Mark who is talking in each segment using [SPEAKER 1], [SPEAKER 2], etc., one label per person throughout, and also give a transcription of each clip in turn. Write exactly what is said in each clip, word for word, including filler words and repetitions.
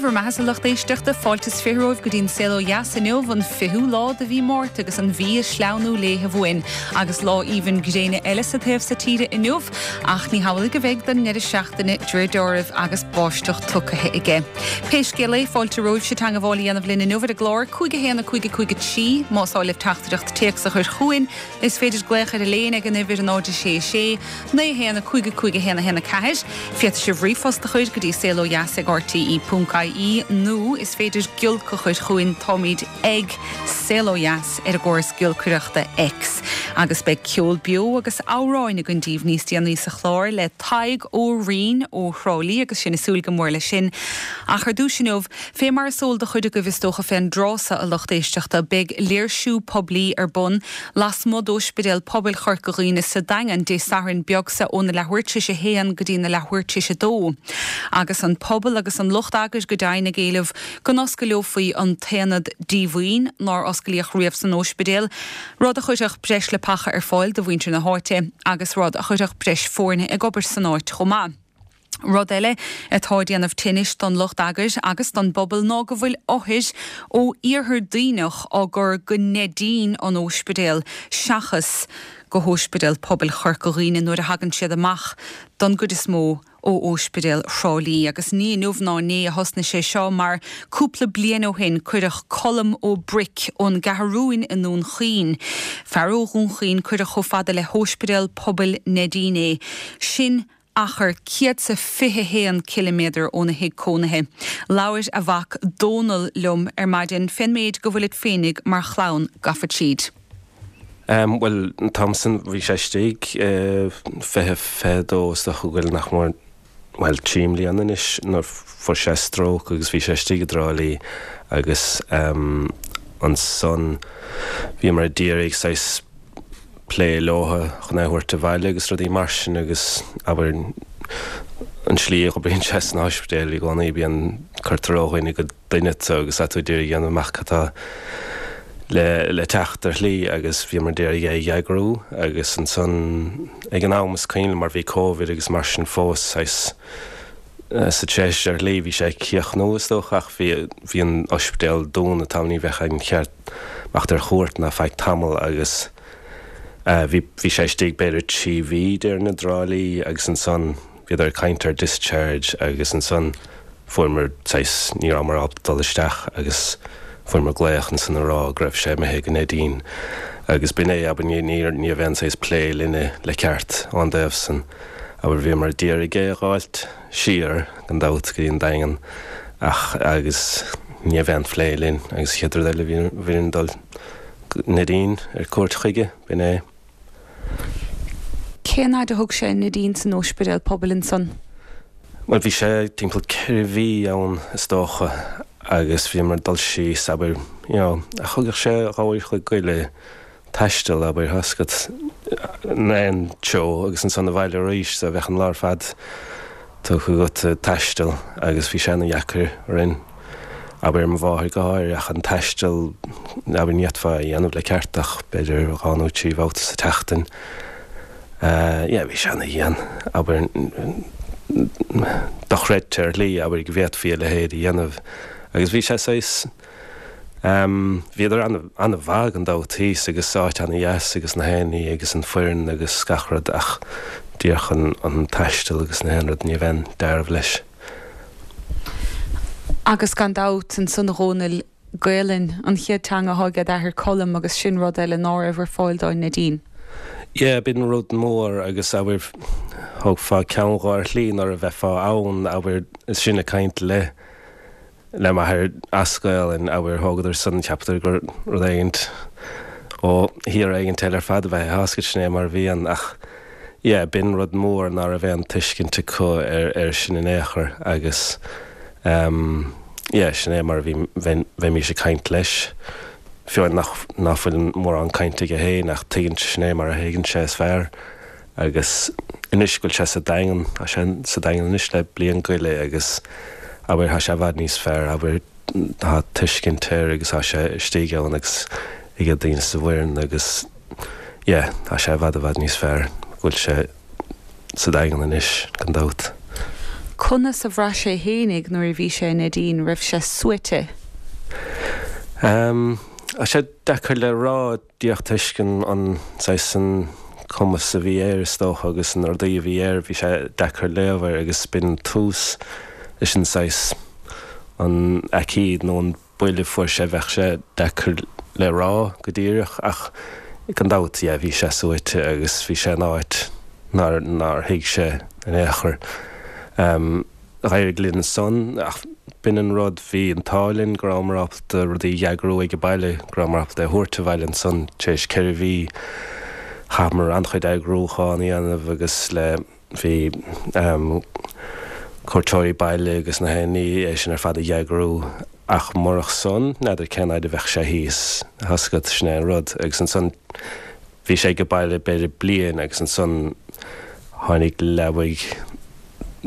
[SPEAKER 1] bhur mbeatha, a lucht éisteachta fáilte is fiche romhaibh go dtí'n Saol Ó Dheas inniu an fichiú lá de mhí Márta agus an mhí ag sleamhnú léithe uainn agus lá aoibhinn gréine eile sa taobh so tíre inniu ach ní hamhlaidh a bheidh don ndeireadh seachtaine de réir dealraimh agus báisteach tugtha aige. Pé scéal é fáilte romhaibh teagmháil a dhéanamh linn inniu ar an gclár cúig a haon a cúig a cúig a trí más áil libh teachtaireacht téacs a chur chugainn is féidir glaoch ar an líne ag an uimhir náid sé sé naoi haon a cúig a cúig a haon a haon a ceathair. Féadfaidh sibh ríomhphost a chur go dtí saol ó dheas ag RTE ponc IE nó is féidir giolc a chur chugainn táimid ag Saol Ó Dheas ar an gcóras giolcaireachta X. Agus beidh ceol beo agus amhráin againn daoibh níos déanaí sa chlár le Tadhg Ó Rinn ó Thrá Lí agus sinn ag súil go mór leis sin. Ach ar dtús inniu fé mar is eol do chuid agaibh is dócha fén dtráth so a lucht éisteachta beidh léirsiú poiblí ar bun lasmuigh d'Ospidéal Pobail Chorca Dhuibhne sa Daingean Dé Sathairn beag seo óna leathuair tar éis a haon go dtí na leathuair tar éis a dó. Agus an pobal agus an lucht eagair go deimhin ag éileamh go n-osclófaí an t-aonad díomhaoin nár osclaíodh riamh san ospidéal, rud a chuirfeadh breis leapacha ar fáil do mhuintir na háite agus rud a chuirfeadh breis foirne ag obair san áit chomh maith. Rud eile atá déanamh tinnis don lucht eagair agus don bpobal ná go bhfuil othair ó iarthar Duibhneach á gcur go Neidín an ospidéal seachas go hOspidéal Pobail Chorca Dhuibhne nuair a thagann siad amach don gcuid is mó ó Ospidéal Thrá Lí agus ní inniu ná inné a thosnaigh sé seo mar cúpla bliain ó shin cuireadh Colm Ó Bric ón gCeathrúin i nDún Chaoin. Fear ó Dhún Chaoin cuireadh chomh fada le hOspidéal Pobail Neidín é. Sin achar céad is fiche haon ciliméadar óna thigh cónaithe. Labhair a mhac Dónal liom ar maidin fén méid go bhfuil féinig mar chlann gafa tríd.
[SPEAKER 2] Um, well Thompson bhí sé istigh uh, fiche fiche dó is dócha go bhfuil nach mór well trí bliana anois nuair fuair sé stroke agus bhí sé istigh i dTrá Lí agus um, ansan bhí mar d'iarraidh saghas plé leo chun é a thabhairt abhaile agus rudaí mar sin agus abair an slí a bhíonn sé san ospidéal i gcónaí bíonn cuirtear ó dhuine go duine agus tú ag iarraidh dhéanamh amach atá le le teacht ar shlí agus bhí mar d'iarraidh é eagrú agus ansan ag an am is cuimhin mar bhí COVID agus mar sin fós saghas sa treis ar shlí bhí sé cíochnú is dócha ach bhí bhí an ospidéal dúnta tá ní bheadh an ceart amach ar chuairt ná feadh tamall agus bhí bhí sé istigh b'fhéidir trí mhí déarfainn i dTrá Lí agus ansan bhíodar ag caint ar discharge agus ansan fuaireamar saghas ní rabhamar ábalta dul isteach agus fuaireamar glaoch ansan a rá go raibh sé imithe go Neidín agus b'in é ab ní ní ní bhean saghas plé linne le ceart an dtaobh san abair bhíomar d'iarraidh é a fháilt siar gan dabht go dtí an Daingean ach agus ní bhean phlé linn agus chéad rud eile bhí bhí dul Neidín ar cuairt chuige b'in é.
[SPEAKER 1] Cén fhad a thug sé Neidín san ospidéal pobail ansan?
[SPEAKER 2] Well bhí sé timpeall ceithre mhí ann is dócha agus bhí mar dul síos abair you know, a thugadh sé dhá uair an chloig goile taisteal abair thascat an teo agus ansan abhaile arís so bheadh an lá ar fad tugtha agat taisteal agus bhí sé an-deacair orainn abair mo mháthair go háirithe ach an taisteal abair ní fhéadfá a dhéanamh le ceart ach b'fhéidir dhá nó trí bhabhta sa tseachtain. Uh, yeah, bhí sé an-dian abair dochreidte ar shlí abair go bhféadfaí a leithéid a dhéanamh agus bhí sé saghas um, bhíodar an-mhaith gan dabht thíos agus áit an-dheas agus na héinní agus an foireann agus gach rud ach díreach an, an taisteal agus na haon rud ní bheinn dearbh leis.
[SPEAKER 1] Agus gan dabht ansan a Dhónaill Gaelainn an chéad teanga atá ag d'athair Colm agus sin rud eile ná raibh ar fáil dó i Neidín.
[SPEAKER 2] Yeah, b'in rud mór agus abair thógfá ceann dhó ar shlí nuair a bheifeá ann abair is sin ag caint le le m'athair as Gaelainn abair thógadar san cheapadar gur rud éigint ó thír éigint eile ar fad a bheith thásca sin é mar bhíonn ach yeah, b'in rud mór ná raibh aon tuiscint acu ar ar sin in aon chor agus um, yeah, sin é mar bhí bheimis ag caint leis. Fiú nach nach bhfuil mórán cainte aige féin ach tuigeann sin é mar a thuigeann sé is fearr agus anois go bhfuil sé sa Daingean tá sé sa Daingean anois le bliain go leith agus abair tá sé i bhfad níos fearr abair tá tuiscint air agus tá sé istigh ann agus ag daoine sa bhfoireann agus yeah, tá sé i bhfad i bhfad níos fearr go bhfuil sé sa Daingean anois gan dabht.
[SPEAKER 1] Conas a bhraith sé fhéinig nuair a bhí sé i Neidín, raibh sé suaite?
[SPEAKER 2] Um, tá sé deacair le rá díreach toisc an saghas an cumas a bhí air is dócha agus an rudaí a bhí air bhí sé deacair léamh air agus b'in tús leis an saghas an aicíd nó an buille fuair sé bheadh sé deacair le rá go díreach ach gan dabht yeah, bhí sé suaite agus bhí sé in áit nár nár thuig sé in aon chor. Um, D'éirigh linn ansan ach b'in an rud bhí an t-ádh linn go rabhamar ábalta rudaí a eagrú ag baile go rabhamar ábalta é a thabhairt abhaile ansan tar éis ceithre mhí chaitheamar an-chuid eagrúchán a dhéanamh agus le bhí um, cuairteoirí baile agus na héinní é sin ar fad a eagrú ach murach san n'fheadar cén fhaid a bheadh sé thíos tá 'fhios agat sin é an rud agus ansan bhí sé ag baile b'fhéidir bliain agus ansan tháinig leabaidh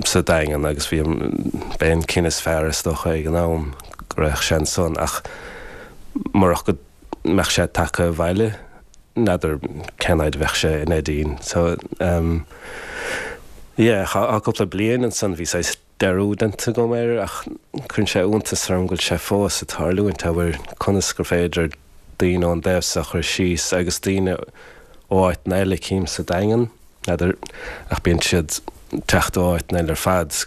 [SPEAKER 2] sa Daingean agus bhí b'é an cinneadh is fearr is dócha ag an am go raibh sé ansan ach murach go mbeadh sé tagtha abhaile n'fheadar cén fhaid a bheadh sé i Neidín. So um, yeah, a cúpla bliain ansan bhí saghas dearúd déanta agam air ach cuireann sé iontas orm go bhfuil sé fós ag tarlúint abair conas gur féidir daoine ón dtaobh seo a chur síos agus daoine ó áiteanna eile cím sa Daingean n'fheadar ach bíonn siad teacht ó áiteanna eile ar fad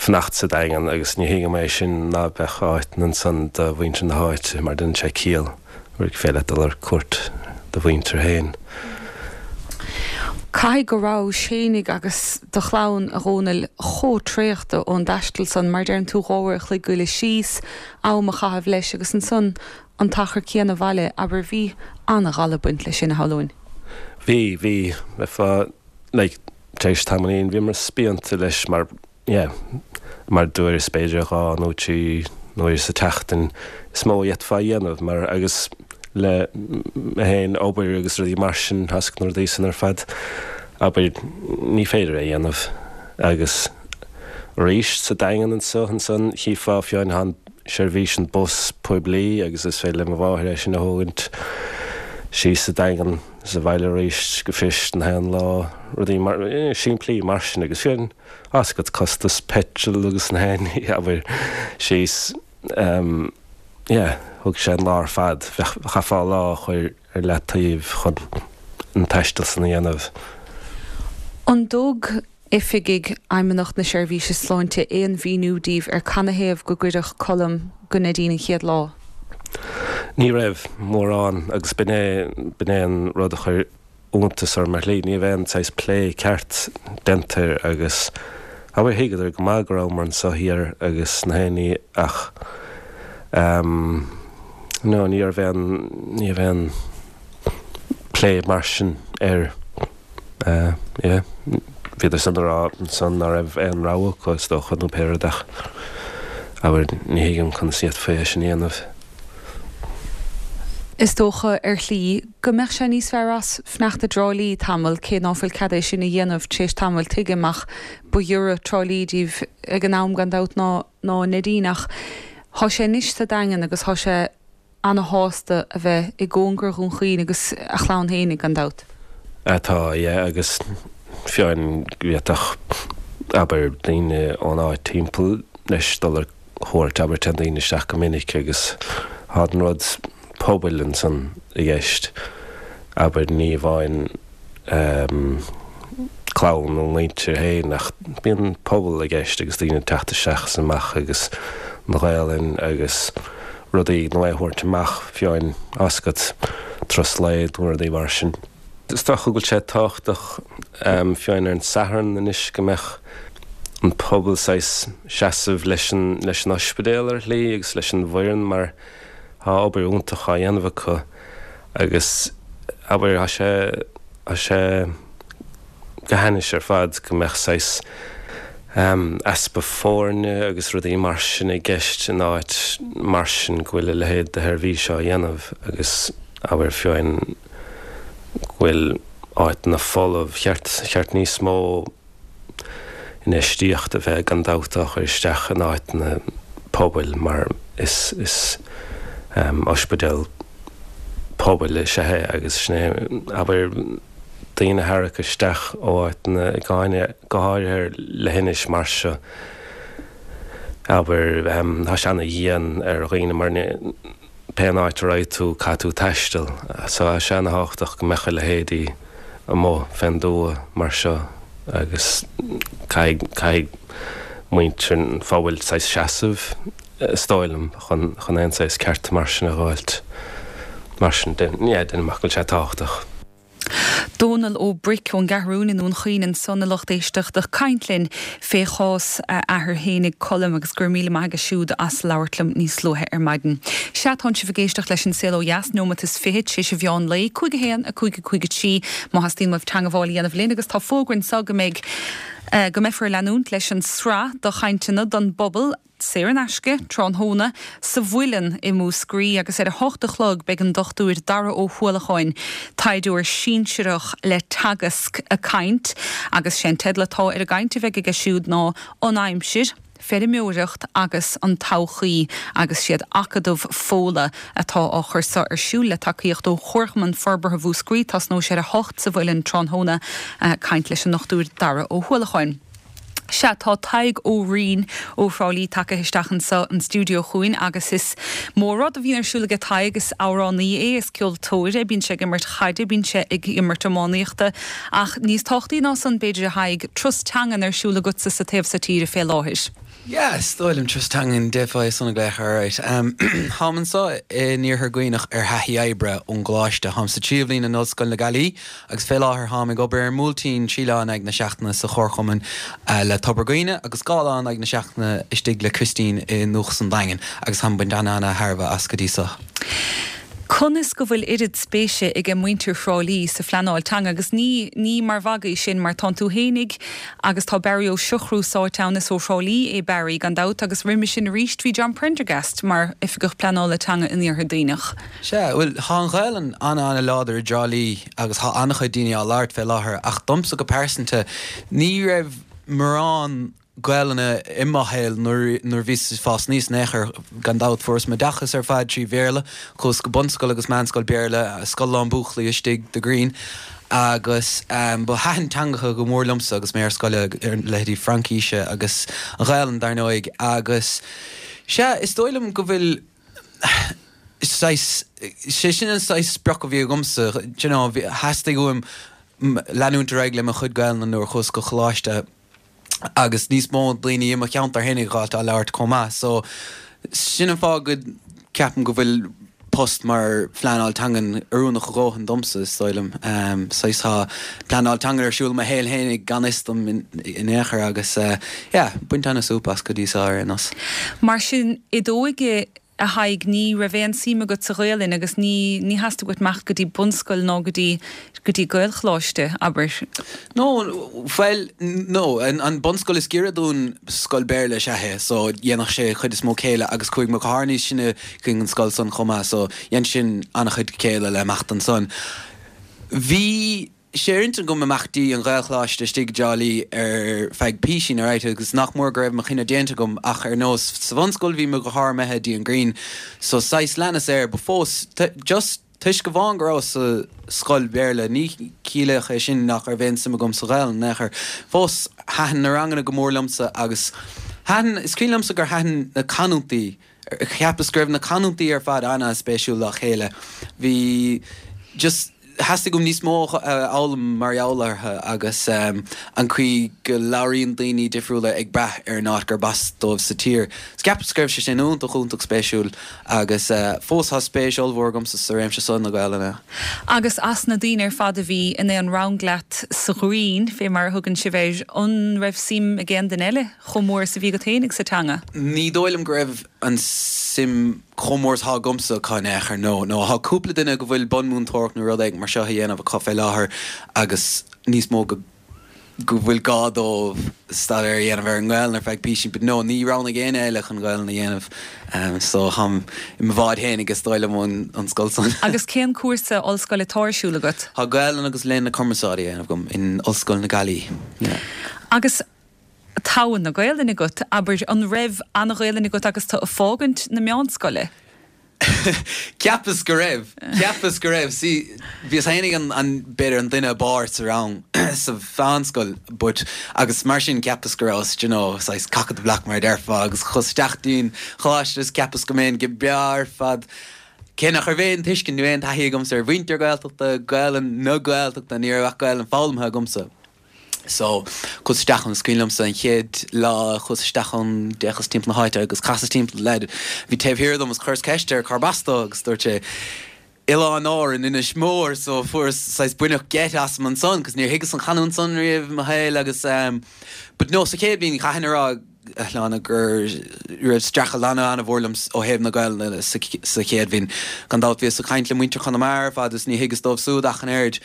[SPEAKER 2] fanacht sa Daingean agus ní thuigim é sin ná beadh áiteanna ansan do mhuintir na háite mar déanann sé ciall gur féidir leat dul ar cuairt do mhuintir féin.
[SPEAKER 1] Caithfidh go raibh Séinig agus do chlann a Dhónaill chomh traochta ón dtaisteal san mar deireann tú dhá uair a chloig goile síos am a chaitheamh leis agus ansan an t-achar céanna abhaile abair bhí an-ghala ag baint leis sin a shamhlóinn.
[SPEAKER 2] Bhí bhí bheifeá like, tar éis tamaillín bhíomar spíonta leis mar yeah, mar dúirt b'fhéidir dhá nó trí uair sa tseachtain is mó a d'fhéadfá a dhéanamh mar agus le mé féin obair agus rudaí mar sin tá 'fhios agat na rudaí san ar fad abair ní féidir é dhéanamh agus arís sa Daingean anseo ansan chífeá fiú an seirbhís an bus poiblí agus is féidir le mo mháthair é sin a thógaint síos sa Daingean sa bhaile arís go fios na haon lá rudaí mar eh, simplí mar sin agus fiú tá 'fhios agat costas petrol agus na haon abair síos um, yeah, thug sé an lá ar fad chaithfeá lá a chur ar leataobh chun an taisteal san a dhéanamh.
[SPEAKER 1] An dtug oifigigh Fheidhmeannacht na Seirbhíse Sláinte aon mhíniú daoibh ar canathaobh go gcuireadh Colm go Neidín an chéad lá?
[SPEAKER 2] Ní raibh mórán agus b'in é b'in é an rud a chuir iontas orm ar shlí, ní raibh aon saghas plé ceart déanta air agus abair thuigeadar go maith go rabhamar anseo thiar agus na héinní ach um, no, ní raibh aon ní raibh aon plé mar sin air uh, yeah. Bhíodar san rá san ná raibh aon rogha acu is dócha nó pé rud ach abair ní thuigim conas a d'fhéadfaí é sin a dhéanamh.
[SPEAKER 1] Is dócha ar shlí go mbeadh sé níos fearr as fanacht i dTrá Lí tamall cé ná fuil cead é sin a dhéanamh tar éis tamaill tuigim ach ba ghiorra Trá Lí daoibh ag an am gan dabht ná ná Neidín ach thá sé anois sa Daingean agus thá sé ana-shásta a bheith i gcóngar Dhún Chaoin agus a chlann fhéinig gan dabht.
[SPEAKER 2] Atá yeah, agus fiú amháin go bhféadfadh abair daoine ón áit timpeall leis dul ar cuairt abair téann daoine isteach go minic agus thá an rud pobail ansan i gceist abair ní amháin um, clann nó muintir féin ach bíonn pobal i gceist agus daoine teacht isteach is amach agus na Gaelainn agus rudaí nó é a thabhairt amach fiú amháin tá 'fhios agat turas lae nó rudaí mar sin. Is dócha go bhfuil sé tábhachtach um, fiú amháin ar an Satharn anois go mbeadh an pobal saghas seasamh leis an leis an ospidéal ar shlí agus leis an bhfoireann mar thá obair iontach á dhéanamh acu agus abair thá sé thá sé go hainnis ar fad go mbeadh saghas um, easpa foirne agus rudaí mar sin i gceist in áit mar sin go bhfuil a leithéid de sheirbhís á dhéanamh agus abair fiú amháin go bhfuil áiteanna folamh cheart cheart níos mó infheistíocht a bheith gan dabht á chur isteach in áiteanna pobail mar is is um, ospidéal pobail is ea é agus sin é abair daoine a tharrac isteach ó áiteanna i gcáine, go háirithe ar leithinis mar seo. Abair, tá sé ana-dhian ar dhaoine mar pé áit a raghaidh tú caithfidh tú taisteal. So tá sé ana-thábhachtach go mbeadh a leithéidí amuigh fén dtuath mar seo agus caithfidh, caithfidh muintir an phobail saghas seasamh, is dóigh liom, chun, chun aon saghas cearta mar sin a dh'fháilt. Mar sin, yeah, deinim amach go bhfuil sé tábhachtach.
[SPEAKER 1] Dónal Ó Bric ón gCeathrúin i nDún Chaoin ansan a lucht éisteachta ag caint linn fé chás a athar fhéinig Colm agus go raibh míle maith aige siúd as labhairt liom níos luaithe ar maidin. Sea, tánn sibh ag éisteacht leis An Saol Ó Dheas, nóimeat is fiche tar éis an mheán lae, cúig a haon, a cúig a cúig a trí, má theastaíonn uaibh teangabháil a dhéanamh linn agus tá fógra anso go mbeidh go mbeifear ag leanúint leis an sraith de chainteanna don bpobal, saor in aisce, tráthnóna, sa Mhuileann i Múscraí agus ar a hocht a chlog beidh an Dochtúir Dara Ó hUallacháin, taighdeoir sinsearach le Teagasc, ag caint agus sé an teideal atá ar an gcaint a bheidh aige siúd ná An Aimsir, Feirmeoireacht agus an Todhchaí agus siad Acadamh Fódhla atá á chur seo ar siúl le tacaíocht ó Chomharchumann Forbartha Mhúscraí. Tosnóidh sé ar a hocht sa Mhuileann tráthnóna, caint leis an nDochtúir Dara Ó hUallacháin. Sea, tá Tadhg Ó Riain ó Thrá Lí tagaithe isteach anso an stiúideo chugainn agus is mór rud a bhíonn ar siúl aige Tadhg, is amhránaí é, is ceoltóir é, bíonn sé ag imirt chaide, bíonn sé ag imirt iománaíochta ach níos tábhachtaí ná san b'fhéidir a Thaidhg, turas teangan ar siúl agatsa sa taobh so tíre fé láthair.
[SPEAKER 3] Yeah, is dóigh liom turas teangan d'fhéadfá é san a ghlaoch alright. Táim anso in Iarthar Dhuibhneach ar thaithí oibre ón gcoláiste. Táim sa tríú bhliain in Ollscoil na Gaillimhe agus fé láthair táim ag obair ar an mBuailtín trí lá in aghaidh na seachtaine sa Chomharchumann le Tobar Dhuibhne agus dhá lá in aghaidh na seachtaine istigh le Christine i nDúchas an Daingin agus táim ag baint ana-ana-thairbhe as go dtí so.
[SPEAKER 1] Conas go bhfuil oiread spéise aige muintir Thrá Lí sa phleanáil teanga agus ní ní mar mhagadh é sin mar tánn tú fhéinig agus tá Barry Ó Siochrú sáite ann, is ó Thrá Lí é Barry gan dabht agus roimhe sin arís bhí John Prendergast mar Oifigeach Pleanála Teanga in Iarthar Duibhneach.
[SPEAKER 3] Sea, bhuel, tá an Ghaelainn ana-ana-láidir i dTrá Lí agus tá an-chuid daoine á labhairt fé láthair ach domsa go pearsanta ní raibh mórán Gaelainne i mo shaol nuair nuair bhíos ag fás aníos in aon chor. Gan dabht fuaireas m'oideachas ar fad trí Bhéarla, chuas go bunscoil agus meánscoil Béarla, scoil lán buachaillí istigh The Green agus ba thaitin teangacha go mór liomsa agus mé ar scoil, leithéidí Fraincíse agus an Ghaelainn dar ndóigh agus sea, is dóigh liom go bhfuil saghas, sé sin an saghas sprioc a bhí agamsa, do you know, theastaigh uaim leanúint ar aghaidh le mo chuid Gaelainne nuair a chuas go coláiste. agus níos mó daoine i mo cheantar féinig a dh'fháilt á labhairt chomh maith. So, sin an fáth go ceapaim go bhfuil post mar phleanáil teangan oiriúnach a dhóthain domsa, is dóigh liom. Saghas tá pleanáil teangan ar siúl i mo shaol féinig gan fhios dom in aon chor agus yeah, baint ana-súp as go dtí so ar aon nós.
[SPEAKER 1] Mar sin, i d'óige a Thaidhg, ní raibh aon suim agat sa Ghaelainn agus ní, ní theastaigh uait imeacht go dtí bunscoil ná go dtí, go dtí Gaelcholáiste, abair.
[SPEAKER 3] No, bhuel, no, an bunscoil is giorra dúinn scoil Béarla is ea é, so dhéanfadh sé chuid is mó céille agus chuaigh mo dheartháir níos sine chuig an scoil san chomh maith, so dhein sin an-chuid céille le imeacht ansan. Bhí. sé ar intinn agam imeacht dtí an Ghaelcholáiste istigh i dTrá Lí ar feadh písín, alright, agus nach mór go raibh mo chinneadh déanta agam ach ar nós sa bhunscoil bhí mo dheartháir imithe dtí an Green so saghas leanas air but fós just toisc amháin go rabhas sa scoil Bhéarla ní chiallódh é sin nach raibh aon suim agam sa Ghaelainn in aon chor. Fós thaitin na ranganna go mór liomsa agus thaitin, is cuimhin liomsa gur thaitin na canúintí, cheapas go raibh na canúintí ar fad ana-spéisiúil dá chéile. Bhí just. Theastaigh uaim níos mó a fhoghlaim mar gheall orthu agus an chaoi go labhraíonn daoine difriúla ag brath ar an áit gurb as dóibh sa tír. Cheapas go raibh sé sin iontach iontach spéisiúil agus fós tá spéis ollmhór agamsa sa réimse seo na Gaelainne.
[SPEAKER 1] Agus as na daoine ar fad a bhí in aon rang leat sa Ghreen, fé mar a thugann sibh air, an raibh suim ag aon duine eile chomh mór is a bhí agat féinig sa teanga?
[SPEAKER 3] Ní dóigh liom go raibh an suim chomh mór is atá agamsa acu in aon chor, no, no. Tá cúpla duine go bhfuil bunmhúinteoireacht nó rud éigin mar seo a dhéanamh acu fé láthair agus níos mó go go bhfuil gá dóibh staidéar a dhéanamh ar an nGaelainn ar feadh písín but no, ní roghnaigh éinne eile chun Gaelainn a dhéanamh so táim i mo bhád fhéinig is dóigh liom ón ón scoil san.
[SPEAKER 1] Agus cén cúrsa ollscoile atá ar siúl agat?
[SPEAKER 3] Tá Gaelainn agus Léann na Cumarsáide a dhéanamh agam in Ollscoil na Gaillimhe, yeah.
[SPEAKER 1] Agus togha na Gaelainne agat, abair, an raibh an-Ghaelainn agat agus tú ag fágaint na meánscoile?
[SPEAKER 3] Cheapas go raibh Cheapas go raibh sí bhíos féinig an an b'fhéidir an duine b'fhearr sa rang sa mheánscoil but agus mar sin cheapas go raibh you know saghas cock of the block mar a déarfá agus chuas isteach dtí'n choláiste is cheapas go mbeinn go breá ar fad Cé nach raibh aon tuiscint nó aon taithí agamsa ar mhuintir Gaeltachta Gaelainn na Gaeltachta ní raibh ach Gaelainn foghlamtha agamsa. So chuas isteach ann is cuimhin liomsa an chéad lá a chuas isteach ann d'fhéachas timpeall na háite agus chasas timpeall leaid bhí taobh thiar dom agus chuireas ceist air cárb as dó agus dúirt sé Oileáin Árann Inis Mór so fuaireas saghas baineadh geit asam ansan cos níor thuigeas an chanúint san riamh i mo shaol agus um, but no sa chéad bhliain chaithfinn a rá a Shláine go raibh streachailt an-mhór liom ó thaobh na Gaelainne sa chéad bhliain. Gan dabht bhíos ag caint le muintir Chonamara ar fad is ní thuigeas dóibh súd ach an oiread.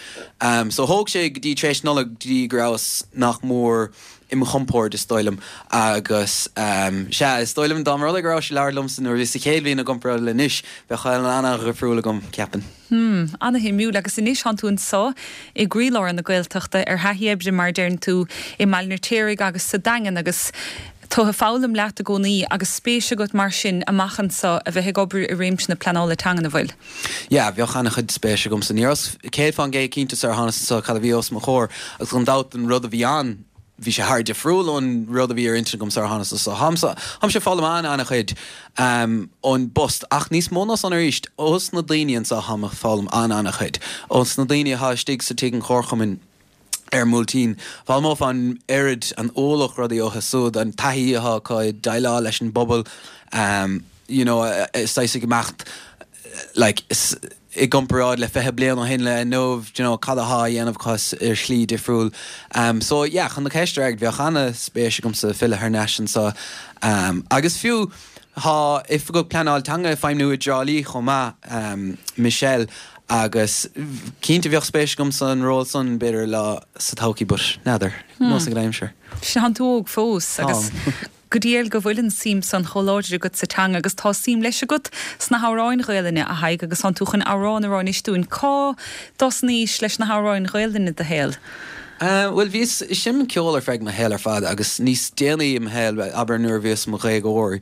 [SPEAKER 3] So thóg sé go dtí tar éis Nollag go dtí go rabhas nach mór i mo chompord is dóigh liom agus sea is dóigh liom dá mba rud é go raibh sé ag labhairt liomsa nuair a bhíos sa chéad bhliain i gcomparáid le anois bheadh Gaelainn an-dhifriúil agam ceapaim.
[SPEAKER 1] Hmm, ana-shuimiúil agus anois tánn tú anseo i gcroílár na Gaeltachta ar thaithí oibre mar a deireann tú i mBaile an Fheirtéaraigh agus sa Daingean agus tú ag foghlaim leat i gcónaí agus spéis agat mar sin amach anseo a bheith ag obair i réimse na pleanála teangan an bhfuil?
[SPEAKER 3] Yeah, bheadh an-chuid spéis agamsa. Ní rabhas céad fán gcéad cinnte sar a thánas anseo cad a bhí os mo chomhair agus gan dabht an rud a bhí ann bhí sé thar difriúil ón rud a bhí ar intinn agam sar a thánas anseo. Táimse táimse ag foghlaim an-an-chuid um, ón bpost ach níos mó ná san arís ós na daoine anseo táim ag foghlaim an-an-chuid. Ós na daoine atá istigh sa tigh an Chomharchumainn ar an mBuailtín. Foghlaimeofá an oiread an ualach rudaí uathu súd, an taithí atá acu ag déileáil leis an bpobal, um, you know, saghas ag imeacht like, i gcomparáid le fiche bliain ó shin le inniu, you know, cad atá á dhéanamh acu ar shlí difriúil. Um, so yeah, chun do cheist a fhreagairt, bheadh an-spéis agamsa filleadh thar n-ais anseo. Um, agus fiú tá oifigeach pleanáil teanga ag feidhmiú i dTrá Lí chomh maith, um, Michelle, agus cinnte bheadh spéis agamsa an ról san b'fhéidir lá sa todhchaí, but n'fheadar, nós ag an aimsir.
[SPEAKER 1] Sea, tánn tú óg fós agus go diail go bhfuil an suim san chomh láidir agat sa teanga agus tá suim leis agat sna hamhráin Ghaelainne a Thaidhg agus tánn tú chun amhrán a rá anois dúinn. Cá dtosnaís leis na hamhráin Ghaelainne i do shaol?
[SPEAKER 3] Bhuel bhíos ag seinm ceoil ar feadh mo shaol ar fad agus níos déanaí i mo shaol, abair nuair a bhíos i mo dhéagóir,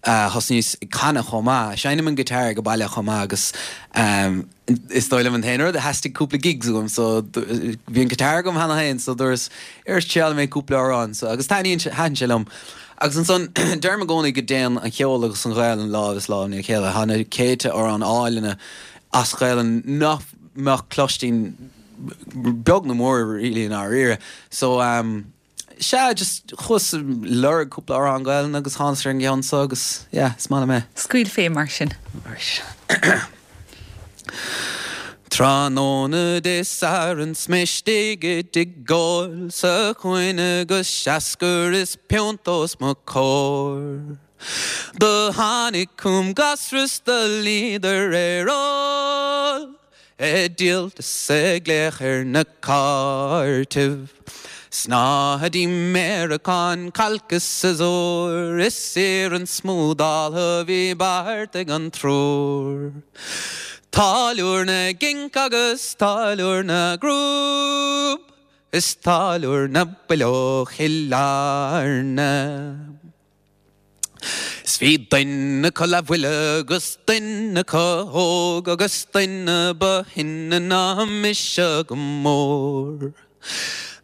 [SPEAKER 3] thosnaíos ag canadh chomh maith. Seinnim an guitar ag baile chomh maith agus is dóigh liom an t-aon rud a theastaigh cúpla gigs uaim so bhí an guitar agam cheana féin so dúras ar triail mé cúpla amhrán so agus taitníonn sé thaitin sé liom. Agus ansan deirim i gcónaí go dtéann an ceol agus an Ghaelainn lámh is lámh ina chéile. Tá na céadta amhrán áille as Gaelainn nach mbeadh cloistín beag nó mór really i ndáiríre. So um, sea, just chuas ag lorg cúpla amhrán Gaelainn agus thánas ar an gceann seo agus yeah, is maith liom é.
[SPEAKER 1] Scaoil fé mar sin.
[SPEAKER 3] Tráthnóna Dé Sathairn 's mé istigh i dtigh óil sa chúinne agus seascar is piúnt os mo chomhair. Do tháinig chugam gasra 's do luíodar ar ól. Ag díol is ag glaoch ar na cártaibh. Snáthaidí méaracán cailc is siosúr is iarann smúdáltha a bhí beartaithe ag an triúr. Táilliúir na gcinc agus táilliúir na gcrúb is táilliúir na bpileog Chill Airne. 'S bhí duine acu leathbhuile agus duine acu óg agus duine ba shine ná mise go mór.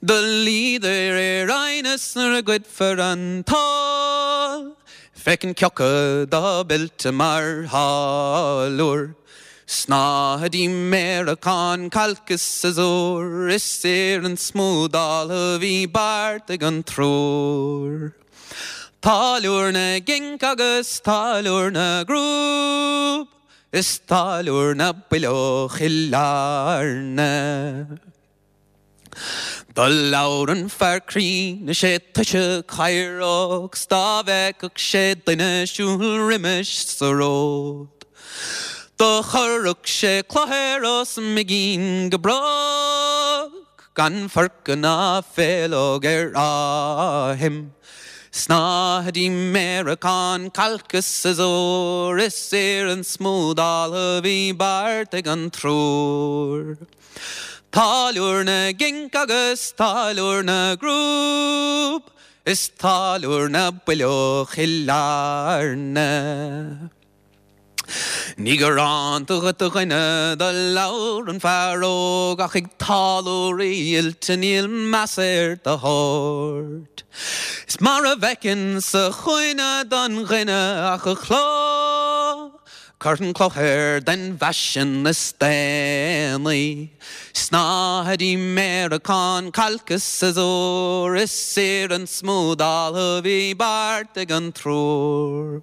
[SPEAKER 3] Do luíodar ar aighneas nuair a ghoidfear an t-ól, féachaint cé acu atá oilte mar tháilliúir. Snáthaidí méaracán cailc is siosúr is iarann smúdáltha a bhí beartaithe ag an triúr. Táilliúir na gcinc agus táilliúir na gcrúb is táilliúir na bpileog Chill Airne. Do labhair an fear críonna 'sé tusa caorach 's dá bhfeicfeadh sé duine ag siúl roimis sa ród. Do chuirfeadh sé cloch air os a bhigín go brách gan forca ná féileog ar a shuim. Snáthaidí méaracán cailc is siosúr is iarann smúdáltha a bhí beartaithe ag an triúr. Táilliúir na gcinc agus táilliúir na gcrúb is táilliúir na bpileog Chill Airne. Ní ghránta dhuit a dhuine do labhair an fear óg ach ag táilliúirí oilte níl meas ar do shórt. Is mar a bhfeiceann sa chúinne don dhuine ach a chló, Cuirfinn cloch air den bhfaisean is déanaí. Snáthaidí méaracán, cailc is siosúr, Is saor an smúdáil a bhí beart ag an triúr.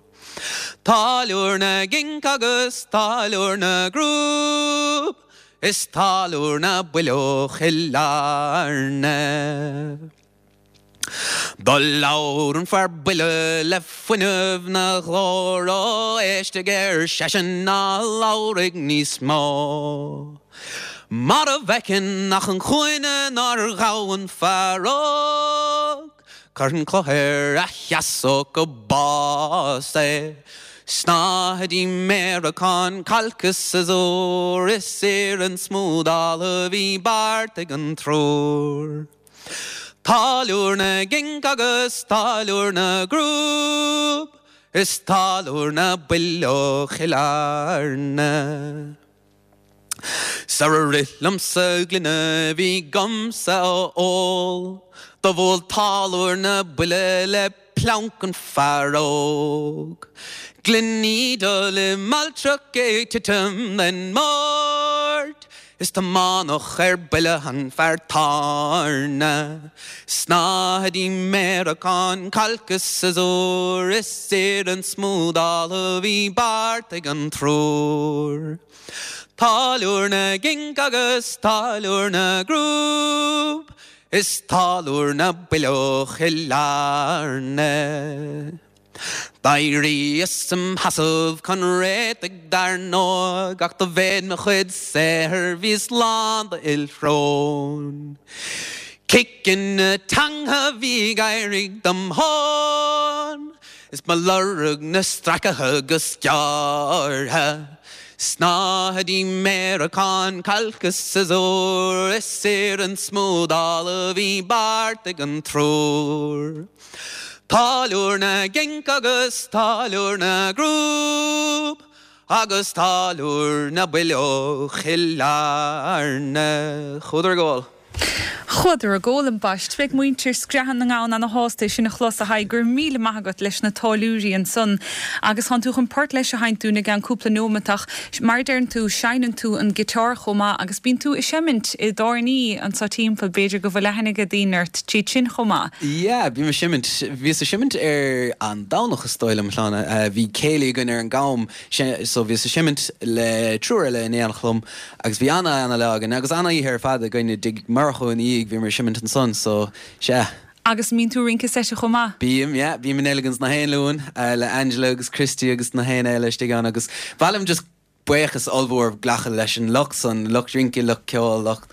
[SPEAKER 3] Táilliúir na gcinc agus táilliúir na gcrúb, Is táilliúir na builleog Chill Airne. Do labhair an fear buile le fuinneamh 'na ghlór, Ó éistigh ar seisean ná labhraigh níos mó. Mar a bhfeiceann ach an chúinne nár ghabh an fear óg, Cuirfinn cloch air a sheasódh go bás é. Snáthaidí méaracán, cailc is siosúr, Is saor an smúdáil a bhí beart ag an triúr. Táilliúir na gcinc agus táilliúir na gcrúb, Is táilliúir na builleog Chill Airne. Sara rith liomsa gloine a bhí 'gamsa a ól, Do bhuail táilliúir na buille le pleanc an fear óg. Gloiní dubh le mailtreach ag titim den mbord, Is tiomáineadh ar buile an fear tábhairne. Snáthaidí méaracán, cailc is siosúr, Is saor an smúdáil a bhí beart ag an triúr. Táilliúir na gcinc agus táilliúir na gcrúb, Is táilliúir na builleog Chill Airne. D'éiríos im sheasamh chun réitigh dar ndóigh, Ach do mhéid mo chuid saothair bhíos lán d'fhuil shrón. Ciceanna na teanga bhí ag éirigh dom thonn, Is mo lorg 'na stracadh go sciorrtha. Snáthaidí méaracán, cailc is siosúr, Is saor an smúdáil a bhí beart ag an triúr. Táilliúir na gcinc agus táilliúir na gcrúb, Agus táilliúir na builleog Chill Airne. Chuadar ag ól.
[SPEAKER 1] Chuadar ag ól ambaist. Beidh muintir Screathan na nGamhan ana shásta é sin a chlos a Thaidhg. Go raibh míle maith agat leis na táilliúirí ansan. Agus tánn tú chun port leis a sheinnt dúinn i gceann cúpla nóimeat ach mar a deireann tú, seinneann tú an giotár chomh maith agus bíonn tú ag seimint i dtábhairní anso timpeall, b'fhéidir go bhfuil aithne ag daoine ort tríd sin chomh maith.
[SPEAKER 3] Yeah, bím ag seimint. Bhíos ag seimint ar an Domhnach is dóigh liom, a Shláine. Bhí céilí againn ar an gCam so bhíos ag seimint le triúr eile in éineacht liom agus bhí ana-ana-lá againn agus ana-oíche ar fad againn i dtigh Murchú ina dhiaidh, bhíomar ag seimint ansan so sea.
[SPEAKER 1] Agus mbíonn tú ag rince seite chomh maith?
[SPEAKER 3] Bím, yeah, bím in Elegans na haon Luan le Angela agus Christy agus na haon eile istigh ann agus ba mhaith liom just buíochas ollmhór glacadh leis an lucht san, lucht rince, lucht ceoil, lucht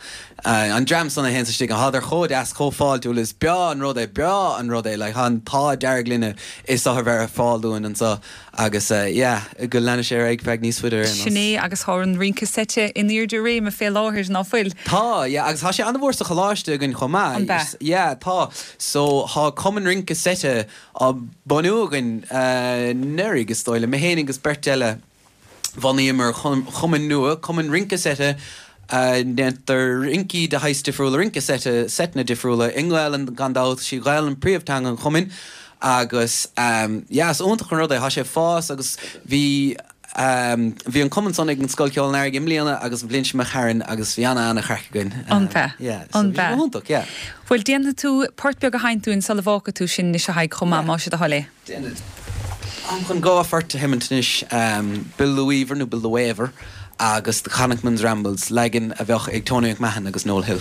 [SPEAKER 3] an dream san a théanns istigh ann. Thádar chomh deas, chomh fáiltiúil, is breá an rud é, breá an rud é, like tá an t-ádh dearg linne is othar bheith ar fáil dúinn anseo agus yeah, go leana sé ar aghaidh feadh níos faide ar aon nós.
[SPEAKER 1] Sin é agus tá an rince seite in airde réime fé láthair, ná fuil?
[SPEAKER 3] Tá, yeah, agus tá sé an-mhór sa choláiste againn chomh maith.
[SPEAKER 1] An b'ea?
[SPEAKER 3] Yeah, tá. So tá cumann rince seite á bunú againn anuraidh is dóigh liom, mé féin agus beirt eile. Bhunaíomar cumann nua, Cumann Rince Seite, a ndéantar rincí de shaghas difriúla, rince seite, seiteanna difriúla, i nGaelainn gan dabht, sí Gaelainn príomhteanga an chumainn agus yeah, is iontach an rud é, tá sé ag fás agus bhí bhí an cumann san ag an Scoil Ceoil an Earraigh i mbliana agus an bhliain seo imigh tharainn agus bhí ana-ana-chraic againn.
[SPEAKER 1] An b'ea?
[SPEAKER 3] Yeah, so
[SPEAKER 1] An
[SPEAKER 3] bhí sé
[SPEAKER 1] b'ea?
[SPEAKER 3] go hiontach, yeah.
[SPEAKER 1] Bhuel, déanfaidh tú port beag a sheinnt dúinn sula bhfágfaidh tú sinn anois a Thaidhg chomh maith, más é do thoil é.
[SPEAKER 3] Déanfaidh. Táim chun dhá phort a sheimint anois, Bill the Weaver nó Bill the Waver agus The Connachtman's Rambles, leagan a bheadh ag Tony McMahon agus Noel Hill.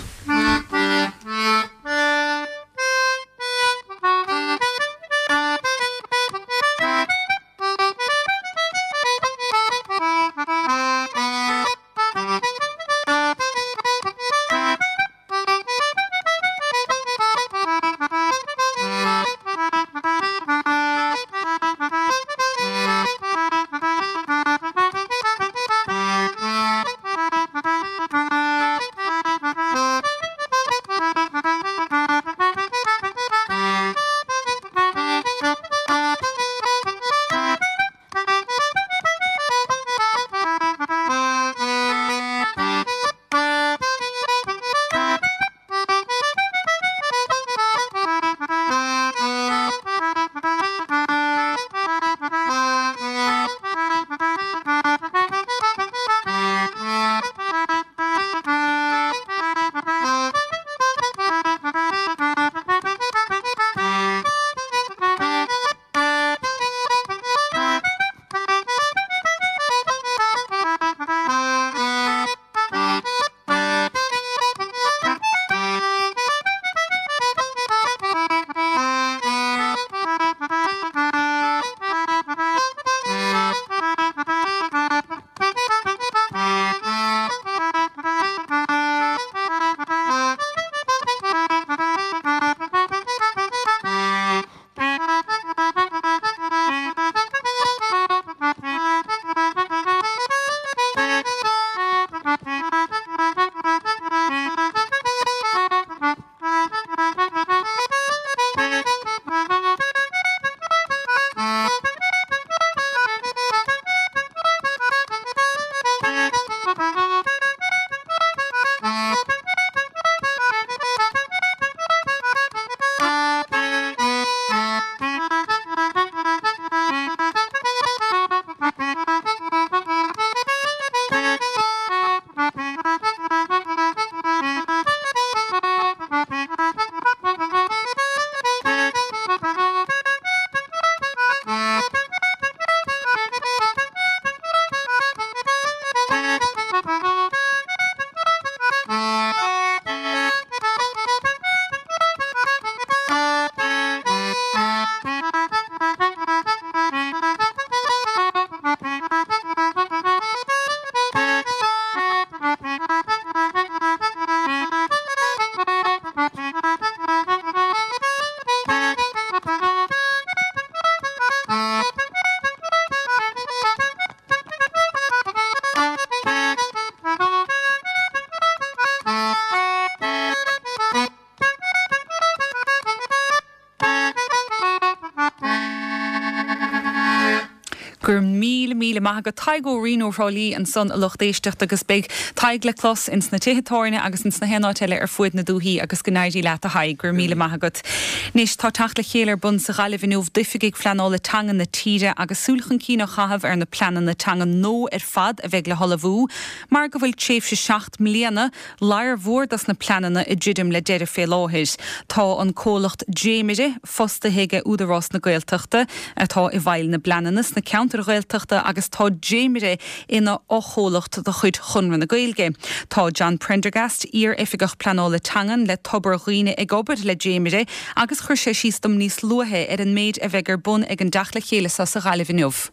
[SPEAKER 1] Go raibh míle míle maith agat Tadhg Ó Rinn ó Thrá Lí ansan a lucht éisteachta agus beidh Tadhg le clos ins na tithe tábhairne agus ins na haon áit eile ar fuaid na dúthaí agus go n-éirí leat a Thaidhg, go raibh míle maith agat. Anois tá teacht le chéile ar bun sa Ghaillimh inniu d'oifigigh phleanála teanga na tíre agus súil chun cinn á chaitheamh ar na pleananna teanga nua ar fad a bheidh le hullmhú mar go bhfuil tréimhse seacht mbliana lear mhór dos na pleananna ag druidim le deireadh fé láthair. Tá an comhlacht Dréimire fostaithe ag Údarás na Gaeltachta atá i bhfeighil na bpleananna sna ceantair Ghaeltachta agus tá Dréimire ina fhochomhlacht de chuid Chonradh na Gaeilge. Tá John Prendergast, iar-oifigeach pleanála teangan le Tobar Dhuibhne ag obair le Dréimire agus chuir sé síos dom níos luaithe ar an méid a bheidh ar bun ag an dteacht le chéile seo sa Ghaillimh inniu.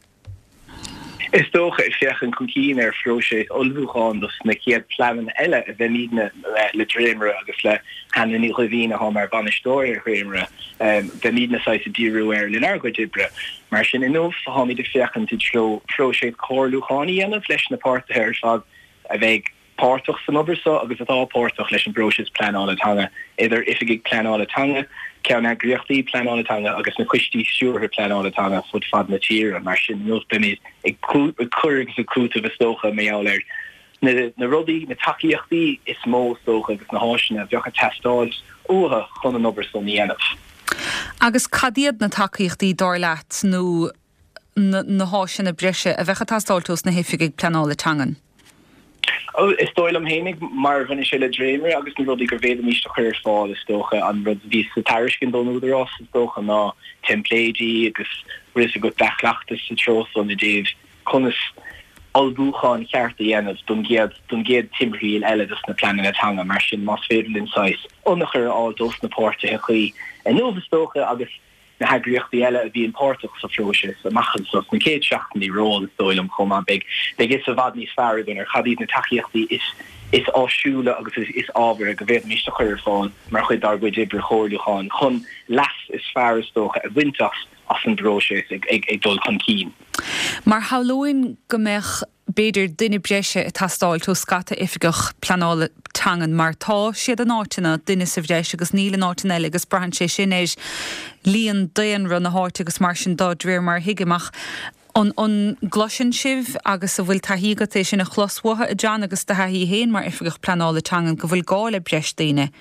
[SPEAKER 4] Is dócha ag féachaint chun cinn ar phróiseas ullmhúcháin dos na chéad pleananna eile a bheimidne le Dréimire agus le Hannah Ní Dhoimhín atá mar bhainisteoir ar Dhréimire, beimidne saghas ag díriú air lenár gcuid oibre. Mar sin inniu táimid ag féachaint i dtreo próiseas comhairliúcháin a dhéanamh leis na páirtithe ar fad a bheidh páirteach san obair seo agus atá páirteach leis an bpróiseas pleanála teanga, idir oifigigh pleanála teanga, ceanneagraíochtaí pleanála teanga agus na coistí stiúrtha pleanála teanga fud fad na tíre. Mar sin, inniu beimid ag cur agus ag cúiteamh is dócha mar gheall ar na rudaí, na tacaíochtaí is mó is dócha agus na háiseanna a bheadh ag teastáil uathu chun an obair san a dhéanamh.
[SPEAKER 1] Agus cad iad na tacaíochtaí, dar leat, nó na háiseanna breise a bheadh ag teastáilt ós na hoifigigh pleanála teangan?
[SPEAKER 4] Is dóigh liom fhéinig, mar a bhaineann sé le Dréimire agus na rudaí go bhféadfaimís a chur ar fáil, is dócha, an rud a bhí sa tairiscint ón Údarás, is dócha, ná teimpléidí agus bhfuil fhios agat dea-chleachtas sa treo san i dtaobh conas ullmhúchán ceart a dhéanamh don gcéad don gcéad timthriall eile dos na pleananna teanga. Mar sin, más féidir linn saghas ionchur a fháil dos na páirtithe cuí inniu, is dócha, agus na heagraíochtaí eile a bhíonn páirteach sa phróiseas amach anseo sna chéad seachtainí romhainn, is dóigh liom, chomh maith. Beidh beidh fhios i bhfad níos fearr againn ar cad iad na tacaíochtaí is is áisiúla agus is is ábhartha go bhféadfaimis a chur ar fáil mar chuid dár gcuid oibre chomhairliúcháin chun leas is fearr, is dócha, a bhaint as as an bpróiseas ag ag ag dul chun cinn.
[SPEAKER 1] Mar shamhlóinn go mbeadh b'fhéidir duine breise ag teastáilt ó scata oifigeach pleanála teangan mar tá siad in áiteanna, duine sa bhreis agus níl in áiteanna eile agus braitheann sé sin ar líon daonra na háite agus mar sin de de réir mar a thuigim ach an an gcloiseann sibh agus an bhfuil taithí agat é sin a chlos uathu a John agus do thaithí féin mar oifigeach pleanála teangan go bhfuil gá le breis daoine?